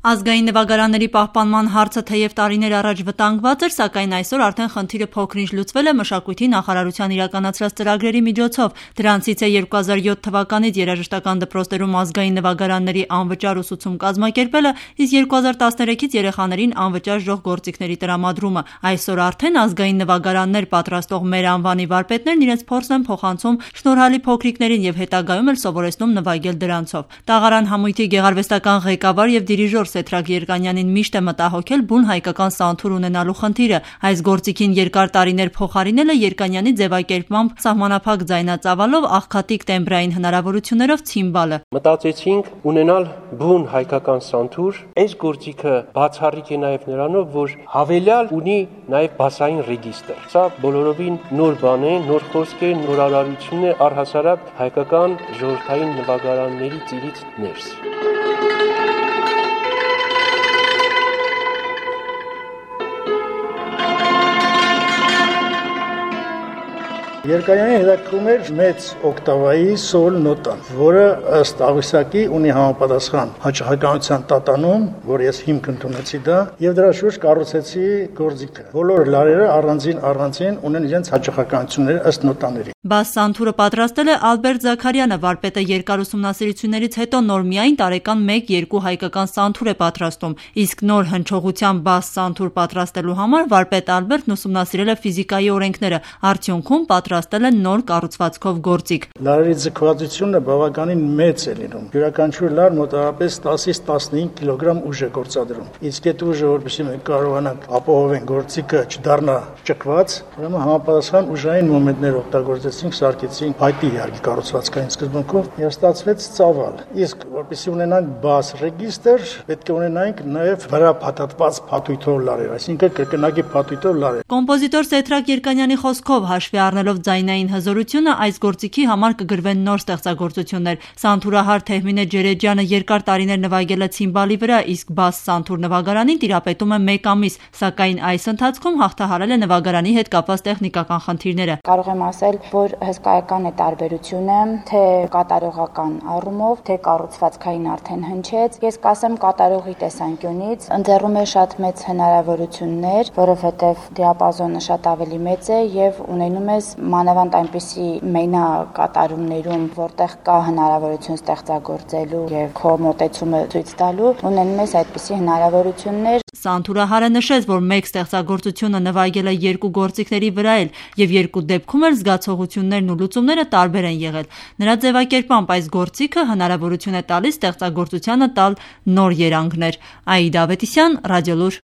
Ազգային նվագարանների պահպանման հարցը թեև տարիներ առաջ վտանգված էր, սակայն այսօր արդեն խնդիրը փոքր-ինչ լուծվել է մշակույթի նախարարության իրականացրած ծրագրերի միջոցով։ Դրանցից է 2007 թվականից երաժշտական դպրոցներում ազգային նվագարանների անվճար ուսուցում կազմակերպելը, իսկ 2013-ից երեխաներին անվճար ժողգործիքների տրամադրումը։ Այսօր արդեն ազգային նվագարաններ պատրաստող մեր անվանի վարպետներն իրենց փորձն են փոխանցում շնորհալի փոքրիկներին եւ հետագայում էլ սովորեցնում նվագել դրանցով։ Տաղարան համույթի գեղարվեստական ղեկավար եւ դիրիժոր Սեդրակ Երկանյանին միշտ է մտահոգել բուն հայկական սանթուր ունենալու խնդիրը։ Այս գործիքին երկար տարիներ փոխարինելը Երկանյանի ձևակերպմամբ սահմանափակ ձայնածավալով աղքատիկ տեմբրային հնարավորություններով ցիմբալը։ Մտածեցինք ունենալ բուն հայկական սանթուր։ Այս գործիքը բացառիկ է նաև նրանով, որ հավելյալ ունի նաև բասային ռեգիստր։ Սա բոլորովին նոր բան է, նոր խոսք է, նորարարություն է առհասարակ հայկական ժողովրդային նվագարանների ծիրից ներս։ Երկանյանի հետաքրքրում էր մեծ օկտավայի սոլ նոտան, որը ըստ աղյուսակի ունի համապատասխան հաճախականության տատանում, որ ես հիմք ընդունեցի դա, եւ դրա շուրջ կառուցեցի գործիքը։ Բոլոր լարերը առանձին ունեն իրենց հաճախականությունները ըստ նոտաների։ Բաս սանթուրը պատրաստել է Ալբերտ Զաքարյանը, վարպետը երկար ուսումնասիրություններից հետո նոր միայն տարեկան 1-2 հայկական սանթուր է պատրաստում, իսկ նոր հնչողության բաս սանթուր պատրաստելու համար վարպետ Ալբերտն ուսումնասիրել է ֆիզիկայի օրենքները, արդյունքում պատրաստել է նոր կառուցվածքով գործիք։ Լարերի ձգվածությունը բավականին մեծ է լինում։ Յուրաքանչյուր լար մոտավորապես 10-ից 15 կիլոգրամ ուժ է գործադրում։ Իսկ այդ ուժը, որպեսզի մենք կարողանանք ապահովենք գործիքը չդառնա ճկված, ուրեմն համապատասխան ուժային մոմենտներ օգտագործեցինք, սարքեցինք փայտի իհարկե կառուցվածքային սկզբունքով եւ ստացվեց ծավալ։ Իսկ որպեսզի ունենանք բաս ռեգիստր, պետք է ունենանք նաեւ վրա փաթաթված փաթույթով լարեր, այսինքն կրկնակի փաթույթով լարեր։ Կոմպոզիտոր Սեդրակ Երկանյանի խոսքով հաշվի առնելով ձայնային հզորությունը, այս գործիքի համար կգրվեն նոր ստեղծագործություններ։ Սանթուրահար Թեհմինե Ջերեջյանը երկար տարիներ նվագել է ցիմբալի վրա, իսկ բաս սանթուր նվագարանին տիրապետում է 1 ամիս, սակայն այս ընթացքում հաղթահարել է նվագարանի հետ կապված տեխնիկական խնդիրները։ Կարող եմ ասել, որ հսկայական է տարբերությունը, թե կատարողական առումով, թե կառուցվածքային արդեն հնչեց։ Ես կասեմ կատարողի տեսանկյունից ընձեռում է շատ մեծ հնարավորություններ, որովհետև դիապազոնը շատ ավելի մեծ է եւ ունենում ես մանավանդ այնպիսի մենակատարումներում, որտեղ կա հնարավորություն ստեղծագործելու եւ քո մոտեցումը ցույց տալու, ունենում ես այդպիսի հնարավորություններ։ Սանթուրահարը նշեց, որ մեկ ստեղծագործությունը նվագել է 2 գործիքների վրա էլ եւ 2 դեպքում էլ զգացողություններն ու լուծումները տարբեր են եղել։ Նրա ձևակերպմամբ այս գործիքը հնարավորություն է տալիս ստեղծագործությանը տալ նոր երանգներ։ Աիդա Ավետիսյան, Ռադիոլուր։